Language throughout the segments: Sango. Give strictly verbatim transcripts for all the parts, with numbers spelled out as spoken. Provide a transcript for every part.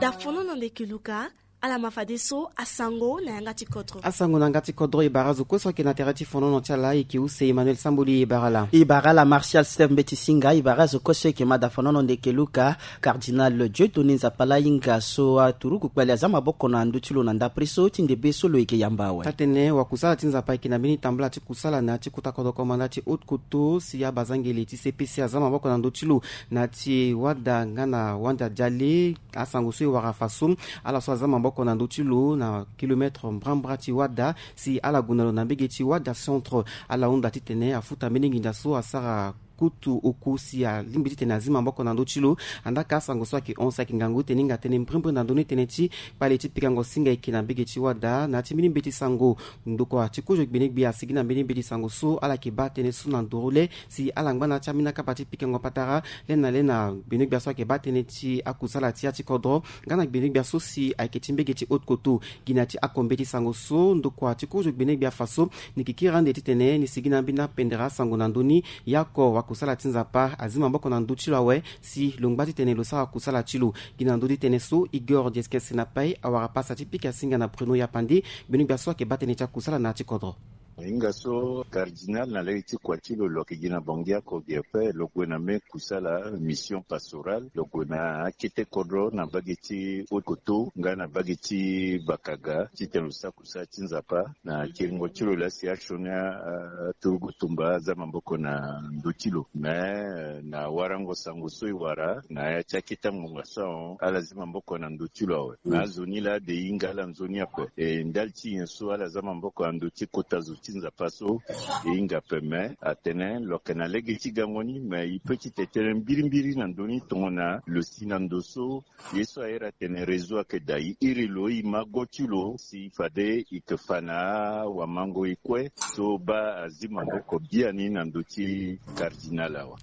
Da fonono ndeke luka. Ala ma fadeso asango na yanga ti kodro. Asango na yanga ti kodro, e bara azo kue so ayeke na tere ti fonono ti ala. E yeke use Emmanuel Samboli, e bara ala. E bara ala Martial Steph Mbeti Singa. E bara azo kue so e yeke ma da fonono ndeke luka. Cardinal Dieudonné Nzapala Inga so aturuku kpali aza maboko na ndö ti lo na ndapre so ti ndebe so lo yeke yamba awe. Tatene wakusala ti Nzapa ayeke na mbeni tambula ti kusala na ya ti kota kodro komanda ti Haute-Kotto si abazangele ti C P C aza maboko na ndö ti lo na ya ti wada nga na wanda diale. Asango so e wara fa so ala so aza maboko na ndö ti lo na kilometre mbrambra ti wada si ala gue na lo na mbege ti wada centre. Ala hunda titene afuta mbeni nginza so asara kutu oku si alingbi titene azi maboko na ndö ti lo. Andaka asango so ayeke hon si ayeke ngangu titene hinga tënë mbirimbiri na ndö ni tënë ti kpale ti pikango singa eke na mbege ti wada na ya ti mbeni mbeti sango. Ndokua ti kozo gbenegbia asigi na mbeni mbeti sango so ala yeke baa tënë so na nduru le si ala ngba na ya ti ambeni akapa ti pikango patara le na le na gbenegbia so ayeke baa tënë ti akusala ti ya ti kodro nga na gbenegbia so si ayeke ti mbege ti Haute-Kotto. Gi na ya ti ako mbeti sango so ndokua ti kozo gbenegbia fa so ni kikiri ande titene ni sigi na ambeni apendere asango na ndö ni. Yako wakusala ti Nzapa azi maboko na ndö ti lo awe si lo ngba titene lo sara kusala ti lo. Gi na ndö ti tënë so Igor Dieskes Senapai awara pasa ti pika singa na Bruno Yapande, gbenegbia so ayeke baa tënë ti akusala na ya ti kodro. Hinga so cardinal na lege ti kua ti lo lo yeke gi na Bangui oko gi ape, lo gue na me kusala mission pastorale, lo gue na akete kodro na mbage ti Haute-Kotto nga na mbage ti Bakaga titene lo sara kusala ti Nzapa na kiringo ti lo laa si asioni aturugu tumba aza maboko na ndö ti lo. Me na warango sango so e wara na ya ti akete ngonga so ahon ala zi maboko na ndö ti lo awe. Na azo ni laa ade e hinga ala nzoni ape. E ndali ti nyen so ala za maboko na ndö ti kota zo ti Nzapa so e hinga ape. Me atene lo yeke na lege ti gango ni, me e peut ti tene tënë mbirimbiri na ndö ni tongana lo si na ndo so ye so ahere atene réseau ayeke daa, e iri lo e ma go ti lo si fade e yeke fa na awamango e kue so baa azi maboko biani na ndö ti cardinal awa.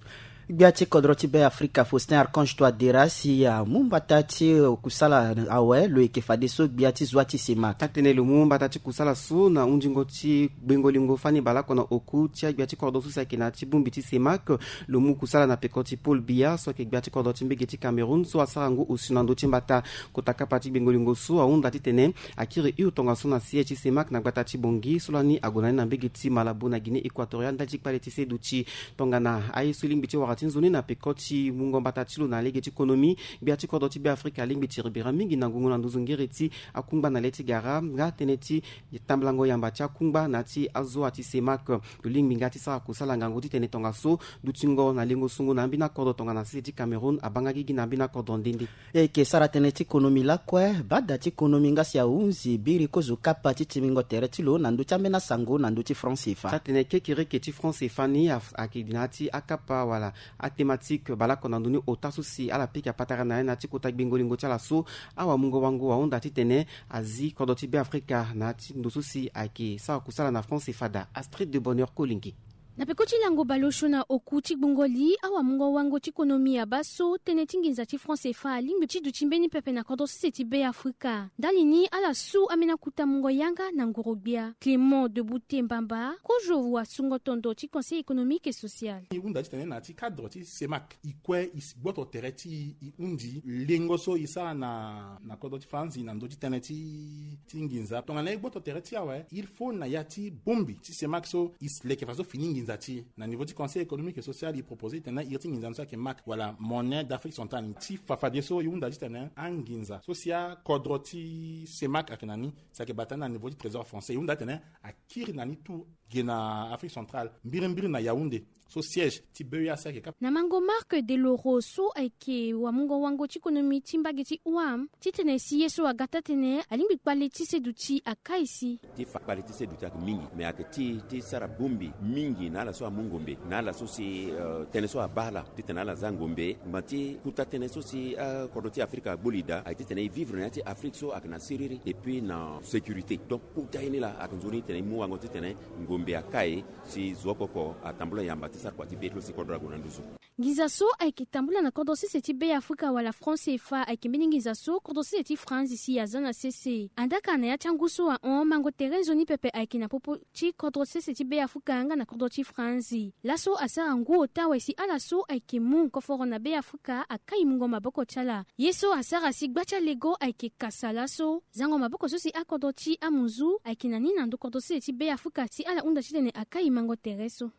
Gbia ti kodro ti Be Afrika Faustin Archange Touadéra si amu mbata ti kusala awe lo yeke fadeso gbia ti zwa ti CEMAC. Atene lo mu mbata ti kusala so na hundingo ti gbengo lingo fani baleoko na oku ti agbia ti kodro so si ayeke na ya ti bongbi ti CEMAC. Lo mu kusala na peko ti Paul Biya so ayeke gbia ti kodro ti mbege ti Cameroun so asara ngu osio na ndö ti mbata. Kota kapa ti gbengo lingo so ahunda titene akiri hio tongaso na siège ti CEMAC na gbata ti Bangui so lani ague na ni na mbege ti Malabo na Guinée Équatoriale ndali ti kpale ti seduti. Tongana aye so e lingbi ti wara ti nzoni na peko ti mungo mbata ti lo na lege ti konomi, gbia ti kodro ti Be Afrika alingbi ti ribira mingi na ngongo na nduzu ngere ti akungba na le ti gara nga tënë ti tambulango yamba ti akungba na ya ti azoa ti CEMAC. Lo lingbi nga ti sara kusala ngangu titene tongaso dutingo na lengo sungu na ambeni akodro tongana sese ti Cameroun abaa nga gigi na ambeni akodro nde nde. E yeke sara tënë ti konomi lakue, bada ti konomi nga si ahunzi biri kozo kapa ti timbingo tere ti lo na ndö ti ambeni asango na ndö ti franc CFA. Atene kekereke ti franc CFA ni ayeke na ya ti akapa wala athématique baleoko na ndö ni ota so si ala pika patara na ya na ya ti kota gbengo lingo ti ala so. Awamungo wango ahunda titene azi kodro ti Be Afrika na ya ti ndo so si ayeke sara kusala na franc CFA daa. Astrid de Bonheur Kolingi. Na peko ti lango baleosio na oku ti gbungo li, awamungo wango ti konomi abaa so tënë ti nginza ti franc CFA alingbi ti duti mbeni pepe na kodro sese ti Be Afrika. Ndali ni ala su ambeni akuta mungo yanga na ngoro-gbia. Clément Deboute Mbamba, kozo wasungo tondo ti Conseil économique et social. E hunda titene na ya ti cadre ti CEMAC e kue e si gboto tere ti e, e hundi lengo so e sara na, na kodro ti faranzi na ndö ti tënë ti, ti nginza. Tongana e gboto tere ti e awe, il faut na ya ti bongbi ti CEMAC so e si leke faso fini nginza ti e. Na niveau ti Conseil économique et social, e propose titene iri ti nginza ni so ayeke MAC wala Monnaie d'Afrique centrale. Ti fa fadeso e hunda titene anginza so si akodro ti CEMAC ayeke na ni, si ayeke bata ni na niveau ti trésor français, e hunda titene akiri na ni tout ge na Afrique centrale, mbirimbiri na Yaoundé so siège ti B E A C ayeke kapa. Na mango Marc Deloro so ayeke wamungo wango ti konomi ti mbage ti O A M, titene si ye so aga taa-tënë alingbi kpale ti seduti akai si. Ti fa kpale ti seduti ayeke mingi, me ayeke ti, ti sara bongbi mingi na ala so amu ngombe, na ala so si, euh, tënë so abaa ala titene ala za ngombe. Ngba ti kuta tënë so si akodro ti Afrika agboli daa ayeke titene e vivre na ya ti Afrique so ayeke na siriri et puis na sécurité. Donc kuta ye ni laa ayeke nzoni titene e mu wango titene ngombe akai si zo oko oko atambula yamba ti sara kua ti be ti lo si kodro ague na nduzu. Nginza so ayeke tambula na kodro sese ti Beafrika wala franc C F A ayeke mbeni nginza so kodro sese ti France si aza na sese. Andaka na ya ti angu so ahon, mango tere nzoni pepe ayeke na popo ti kodro sese ti Beafrika nga na kodro ti France. Laso asara ngu ota awe si ala so ayeke mu koforo na Beafrika akai mungo maboko ti ala. Ye so asara si gba ti alego ayeke kasa laso. Zango maboko so si akodro ti amuzu ayeke na ni na ndo kodro sese ti Beafrika si ala hunda titene akai mango tere so.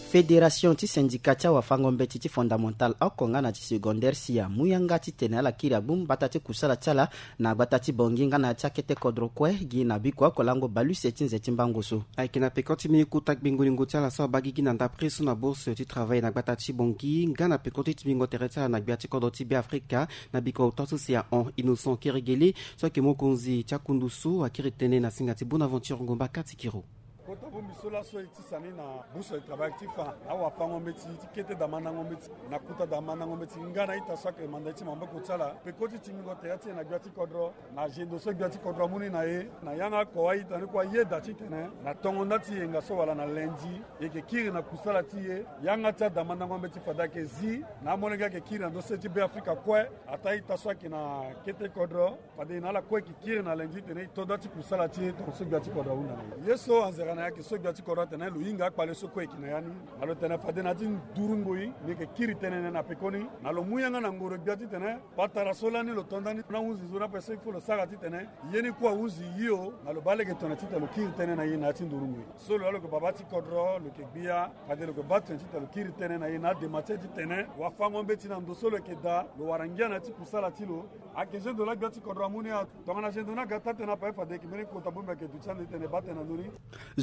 Fédération ti syndicat ti awafango-mbeti ti fondamental oko nga na ti secondaire si amu yanga titene ala kiri agbu mbata ti kusala ti ala na gbata ti Bangui nga na ya ti akete kodro kue gi na biko oko lango bale use ti nze ti mbango so. Ayeke na peko ti mbeni kota gbengo-lingo ti ala so abaa gigi na ndapre so na bourse ti travail na gbata ti Bangui nga na peko ti timbingo tere ti ala na gbia ti kodro ti Beafrika na biko ota so si ahon. Innocent Keregele so ayeke mokonzi ti akundu so akiri tënë na singa ti Bonaventure Ngomba Katikiro. Kota bongbi so laso e tisa ni na bourse de travail ti fa na awafango-mbeti ti kete damandango-mbeti na kota damandango-mbeti nga na ita so ayeke manda ye ti maboko ti ala peko ti timbingo tere ti e na gbia ti kodro. Na zendo so gbia ti kodro amu ni na e na yanga ako a-ita ni kue ayeda titene na tongo nda ti yenga so wala na lundi e yeke kiri na kusala ti e. Yanga ti adamandango-mbeti fade ayeke zi na amolenge ayeke kiri na ndo sese ti Beafrika kue. Ataa ita so ayeke na kete kodro fade e na ala kue e yeke kiri na lundi titene e to nda ti kusala ti e tongaso gbia ti kodro ahunda na e. Ye so anzere na e ayeke so gbia ti kodro atene lo hinga akpale so kue e yeke na ya ni. Na lo tene fade na ya ti nduru ngoi ni e yeke kiri tënë na e na pekoni na lo mu yanga na ngoro gbia titene patara so lani lo to nda ni na hunzi zo ni ape so il faut lo sara titene ye ni kue ahunzi hio. Na lo baa lege tongana titene lo kiri tënë na e na ya ti nduru ngoi so lo ya lo yeke baba ti kodro lo yeke gbia fade lo yeke baa tongana titene lo kiri tënë na e na adema ti e titene wafango-mbeti na ndo so lo yeke daa lo wara ngia na ya ti kusala ti lo. Ayeke zendo laa gbia ti kodro amu ni. Tongana zendo ni aga taa tënë ape fade e yeke mbeni kota bongbi ayeke duti ande titene e baa tënë na ndö ni.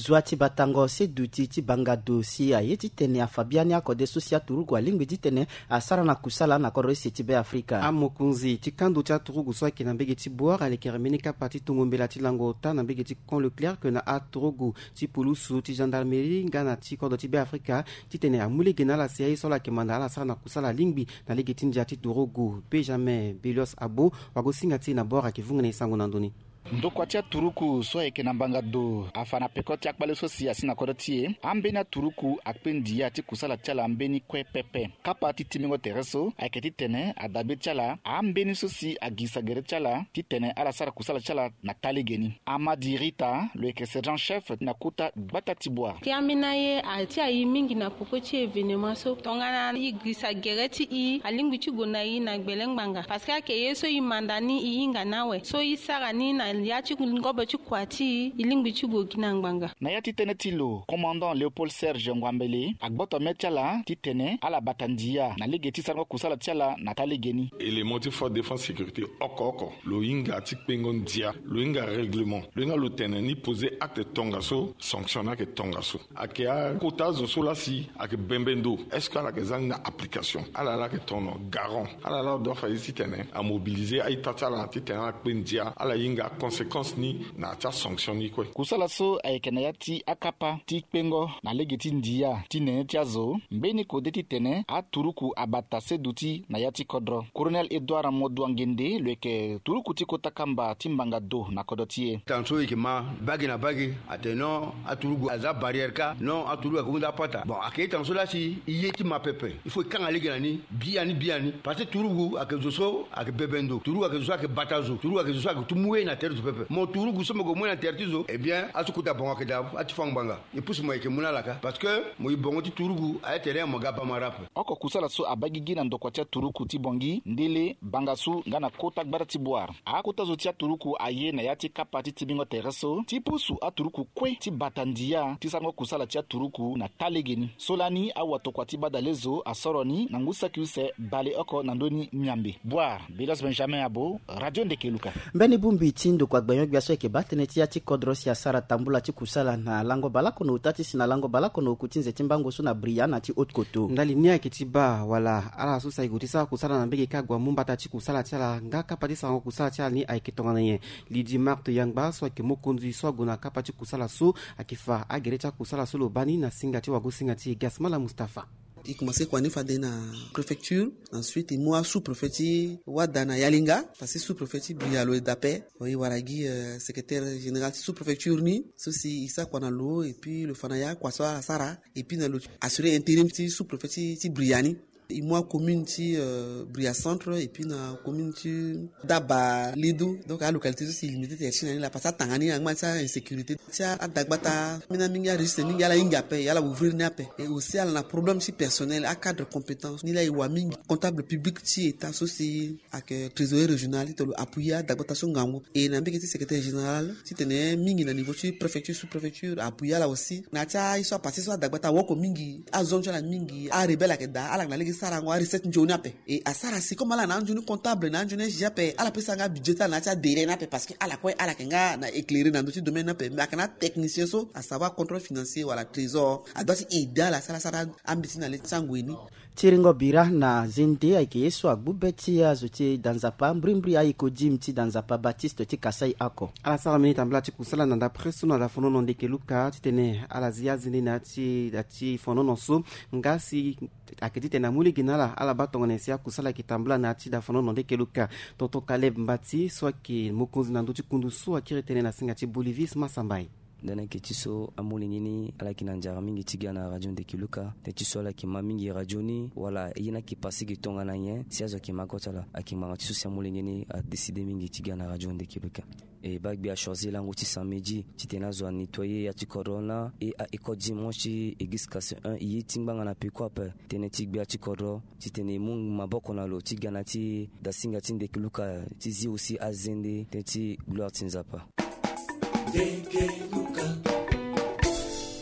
Zua ti batango se duti ti banga do si aye titene afa biani akode so si aturugu alingbi titene asara na kusala na kodro use ti Beafrika. Amokonzi ti kando ti aturugu so ayeke na mbege ti Bouar alekere mbeni kapa ti tongo mbela ti lango ota na mbege ti Camp Leclerc na aturugu ti pulusu ti gendarmerie nga na ti kodro ti Beafrika titene amu lege na ala si aye so ala yeke manda ala sara na kusala alingbi na lege ti ndia ti turugu. Benjamin Belios Abo, wagosinga ti e na Bouar ayeke vunga na e sango na ndö ni. Ndokua ti aturuku so ayeke na mbanga do afa na peko ti akpale so si asi na kodro ti e. Ambeni aturuku akpe ndia ti kusala ti ala mbeni kue pepe. Kapa ti timbingo tere so ayeke titene adabe ti ala ambeni so si agirisa gere ti ala titene ala sara kusala ti ala na taa lege ni. Amadi Rita lo yeke sergent chef na kota gbata ti Bouar. Ti ambeni aye a ti ayi mingi na peko ti événement so tongana e girisa gere ti e alingbi ti gue na e na gbele ngbanga parce que ayeke ye so e manda ni e hinga ni awe so e sara ni na ya ti ngobo ti kua ti e e lingbi ti gue gi na ngbanga. Na ya ti tënë ti lo, commandant Léopold Serge Ngwambele agboto mê ti ala titene ala bata ndia na lege ti sarango kusala ti ala na taa lege ni. Élément ti force défense sécurité oko oko lo hinga ti kpengo ndia, lo hinga règlement, lo hinga lo tene ni poser acte tongaso, sanction ni ayeke tongaso. Ayeke akota azo so laa si ayeke bembe ndo, est-ce que ala yeke za ni na application? Ala laa ayeke tono garant, ala laa lo doit fa ye titene amobiliser a-ita ti ala titene ala kpe ndia, ala hinga aconséquence ni na ya ti asanction ni kue. Kusala so ayeke na ya ti akapa ti kpengo na lege ti ndia ti nene ti azo mbeni kode titene aturuku abata seduti na ya ti kodro. Colonel Edouard Moduangende lo yeke turuku ti kota kamba ti mbanga do na kodro ti e. Tanga so e yeke ma bage na bage atene non aturugu aza barrière kâ, non aturugu ayeke hunda apata. Bon, ayeke ye tanga so laa si e ye ti ma pepe, il faut e kanga lege na ni biani biani parce que turugu ayeke zo so ayeke bebe ndo, turugu ayeke zo so ayeke bata zo, turugu ayeke zo so ayeke ti mu ye na tere zo pepe. Mo turugu so mo gue mu ye na tere ti zo, eh bien aso kota bango ayeke daa ati fâ ngbanga. E pusu mo yeke mu na ala kâ parce que mo ye bongo ti turugu aye tere mo ga bamara ape. Oko kusala so abaa gigi na ndokua ti aturuku ti Bangui, Ndele, Bangassou nga na kota gbata ti Bouar. Akota zo ti aturuku aye na ya ti kapa ti timbingo tere so ti pusu aturuku kue ti bata ndia ti sarango kusala ti aturuku na taa lege ni. So lani awatokua ti badalezo asoro ni na ngu saki use bale oko na ndö ni miambe. Bouar, Belios Benjamin Abo, Radio Ndeke Luka. Mbeni bongbi ti ndokua gbenyo-gbia so ayeke baa tënë ti ya ti kodro si asara tambula ti kusala na lango baleoko na ota ti si na lango baleoko na oku ti nze ti mbango so na Bria na ti Haute-Kotto. Ndali ni ayeke ti baa wala ala so si ayeke gue ti sara kusala na mbege kâ ague amu mbata ti kusala ti ala nga kapa ti sarango kusala ti ala ni ayeke tongana nyen? Lydie Marthe Yangba so ayeke mokonzi so ague na kapa ti kusala so ayeke fa agere ti akusala so lo baa ni na singa ti wagosinga ti e Gasmala Mustapha. E commencé kua ni fade na préfecture. Ensuite e mu asous-préfet ti wada na Yalinga, parce que sous-préfet ti Bria lo e da ape. E wara gi euh, secrétaire général ti sous-préfecture ni so si e sara kua na lo, et puis lo fa na ya kua so ala sara, et puis na lo assurer intérim ti sous-préfet ti, ti Bria ni. E mu acommune ti euh, Bria Centre et puis na commune ti Daba Ledo. Donc alocalité so si limité ti ya ti na ni laa, parce que atanga ni angba ti ainsécurité ti adagbata. Mina mingi aregistre mingi ala hinga ape, ala ouvrir ni ape. Et aussi ala na problème ti personnel, acadre compétence ni laa e wa mingi. Comptable public ti état so si ayeke trésorier régional ti tene lo appuyer adagbata so ngangu. Et na mbege ti secrétaire général titene mingi na niveau ti préfecture, sous-préfecture appuyer ala aussi. Na ya ti aye so apassé so adagbata awoko mingi, azon ti ala mingi, arebelle ayeke daa, ala yeke na lege sarango arecette nzoni ape. Et asara si comme ala na anzoni comptable, na anzoni S G ape, ala pesa nga budget ti ala na ya ti adélai ni ape, parce que ala kue ala yeke nga na éclairé na ndö ti domaine ni ape. Mais ayeke na atechnicien so, à savoir contrôle financier wala trésor, adoit ti aider ala si ala sara ambeti ti na le ti angoi ni. Tiringo bira na zende ayeke ye so agbu be ti azo ti danzapa mbrimbri ayeko dim ti danzapa Baptiste ti Kasaï oko. Ala sara mbeni tambula ti kusala na ndapre so na dafonono ndeke luka titene ala zi azende na ya ti da ti fonono so. Nga si ayeke titene amu lege na ala, ala baa tongana nyen si akusala ayeke tambula na ya ti dafonono ndeke luka. Tonton Caleb Mbati so ayeke mokonzi na ndö ti kundu so akiri tënë na singa ti Bolivis Masambai. Ndani ayeke ti so amolenge ni ala yeke na nzara mingi ti ga na radio ndeke luka. Tënë ti so ala yeke ma mingi radio ni wala ye ni ayeke passé ge tongana nyen si azo ayeke ma go ti ala? Ayeke ngbanga ti so si amolenge ni adécidé mingi ti ga na radio ndeke luka. E baa gbe achoisi lango ti samedi titene azo anettoyer ya ti kodro na e a école dimanche ti église Casse un e ye ti ngbanga na peko ape. Tënë ti gbia ti kodro titene e mu maboko na lo ti ga na ti dasinga ti ndeke luka ti zi aussi azende tënë ti gloire ti Nzapa.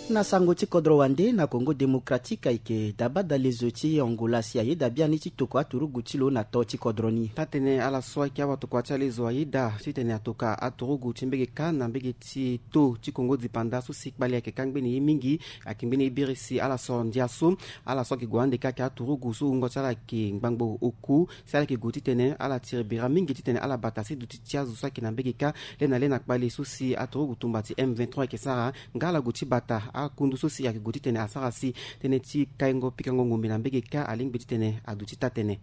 Na sango ti kodro wande na Congo Démocratique ayeke dabada lezo ti Angola si ayeda biani ti toko aturugu ti lo na to ti kodro ni. Taa-tënë ala so ayeke awatokua ti alezo ayeda titene atoka aturugu ti mbege kâ na mbege ti to ti Congo dipanda so si kpali ayeke kâ ngbeni ye mingi. Ayeke ngbeni ye biri si ala soro ndia so ala so ayeke gue ande kâ ayeke aturugu so wungo ti ala ayeke ngbangbo oku. Si ala yeke gue titene ala tiri bira mingi titene ala bata si duti ti azo so ayeke na mbege kâ le na le na kpali so si aturugu tumba ti M vingt-trois ayeke sara. Nga ala gue ti bata akundu so si ayeke gue titene asara si tënë ti kaingo pikango ngombe na mbege kâ alingbi titene aduti taa-tënë.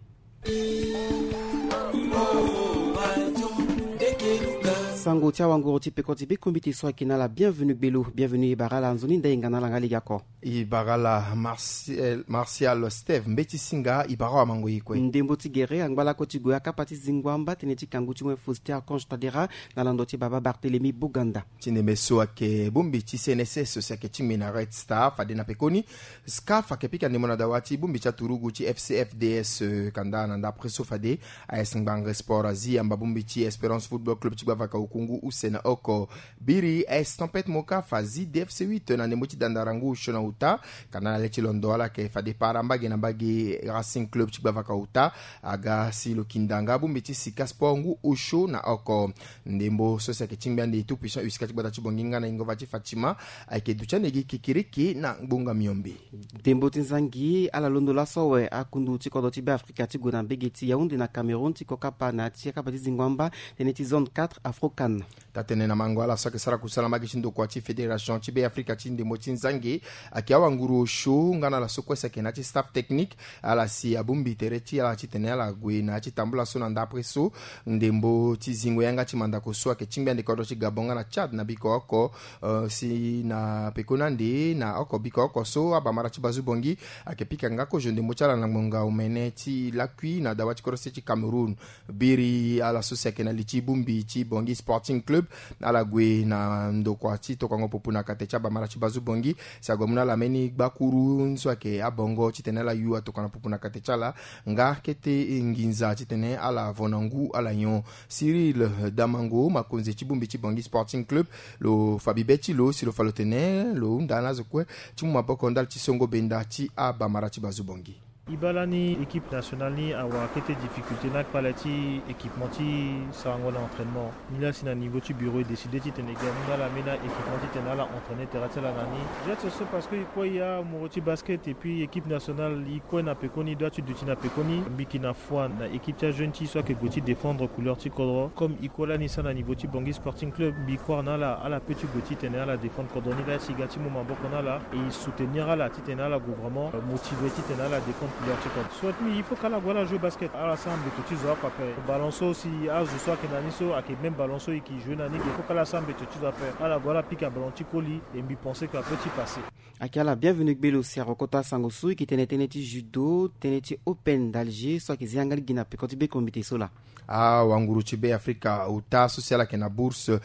Sango ti awanguru ti peko ti bikombiti so ayeke na ala Bienvenu Gbelo. Bienvenu, e bara ala nzoni nda e nga na ala nga lege oko. E bara ala Martial, Martial Steve Mbeti Singa, e bara awamango e kue. Ndembo ti gere angba lakue ti gue akapa ti zingo amba tënë ti kangu ti wen Faustin Archange Touadéra na lando ti baba Barthélemy Boganda. Ti ndembe so ayeke bongbi ti C N S S so si ayeke tingbi na Red Star fade na pekoni. SCAF ayeke pika ndembo na dawa ti bongbi ti aturugu ti F C F D S, eh, kanda na ndapre so fade. A S Ngbangré Sport azi amba bongbi ti Espérance Football Club ti gbavaka oku ngu use na oko. Biri A S Tempête Mocaf azi D F C huit na ndembo ti dandara ngu osio na ota. Kanda na le ti londo ala yeke fade para mbage na mbage Racing Club ti gbavaka ota. Aga si lo kinda nga bongbi ti Sika Sport ngu osio na oko. Ndembo so si ayeke tingbi ande Tout Puissant Usika ti gbata ti Bangui nga na ingova ti Fatima ayeke duti ande gi kekiriki na ngbonga miombe. Ndembo ti nzangi ala londo laso awe akundu ti kodro ti Beafrika ti gue na mbege ti Yaoundé na Cameroun ti kokapa na ya ti akapa ti zingo amba tënë ti zone quatre Afrocan. Taa-tënë na mango ala so ayeke sara kusala na mbage ti ndokua ti fédération ti Beafrika ti ndembo ti nzangi ayeke awanguru osio nga na ala so kue si ayeke na ya ti staff technique. Ala si abongbi tere ti ala titene ala gue na ya ti tambula so na ndapre so. Ndembo ti zingo yanga ti mandako so ayeke tingbi ande kodro ti Gabon nga na Tchad na biko oko, eh, si na pekoni ande na oko biko oko so abamara ti Bazu Bangui ayeke pika nga kozo ndembo ti ala na ngbonga omene ti lakui na dawa ti kodro se ti Cameroun. Biri ala so si ayeke na li ti bongbi ti Bangui Sporting Club, ala gue na ndokua ti tokango popo na kate ti abamara ti Bazu Bangui. Si ague amu na ala mbeni gbakuru so ayeke abongo titene ala yu atokua na popo na kate ti ala. Nga kete nginza titene ala vo na ngu ala nyon. Cyril Damango, makonzi ti bongbi ti Bangui Sporting Club, lo fa bibe ti lo si lo fa lo tene lo hunda na azo kue ti mu maboko ndali ti songo benda ti abamara ti Bazu Bangui. E baa lani équipe nationale ni awara kete difficulté na kpale ti équipement ti sarango na entraînement. Ni laa si na niveau ti bureau e décidé titene e ga ni na ala ambeni équipement titene ala entraîner terrain ti ala na ni. Jette so parce que e kue e amoro ti basket et puis équipe nationale e kue na pekoni e doit ti duti na pekoni. Mbi yeke na foi na équipe ti ajeune ti e so ayeke gue ti défendre couleur ti kodro. Comme e kue lani e sara na niveau ti Bangui Sporting Club, mbi croire na ala, ala peut ti gue titene ala défendre kodro ni laa si e ga ti mu maboko na ala et e soutenir ala titene ala gue vraiment motivé titene ala défendre couleur ti kodro. Soit ni il faut kala gue ala jouer basket, ala sara mbeto ti zo oko ape. Ballon so si azo so ayeke na ni so ayeke même ballon so e yeke jouer na ni ge, il faut kala sara mbeto ti zo ape. Ala gue ala pika ballon ti koli et mbi pense que ape ti passer. Ayeke ala bienvenu gbelo si arokota sango so e yeke tene tënë ti judo, tënë ti open d'Alger so ayeke zi yanga lege na peko ti be komite so laa. Awanguru ti be afrika ota so si ala yeke na bourse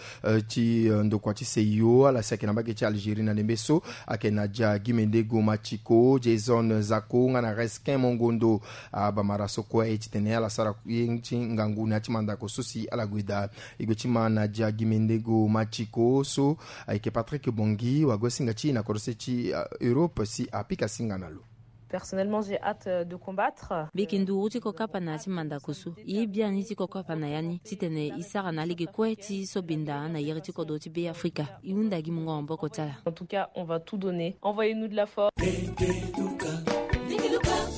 ti ndokua ti seio ala si ayeke na mbage ti Algérie na ndembe so ayeke na dia gimendego machiko, jason zako nga na reskin mongondo. Abamara so kue aye titene ala sara ye ti ngangu na ya ti mandako so si ala gue daa. E gue ti ma na dia gimendego machiko so ayeke Patrick Bongi wagosinga ti na korose ti europe si apika singa na lo. Personnellement j'ai hâte de combattre. Mbi yeke nduru ti kokapa na ya ti mandako so. E ye biani ti kokapa na ya ni titene e sara na alege kue ti so benda na yere ti kodro ti be afrika. E hunda gi mungo maboko ti ala. En tout cas on va tout donner, envoyez nous de la force.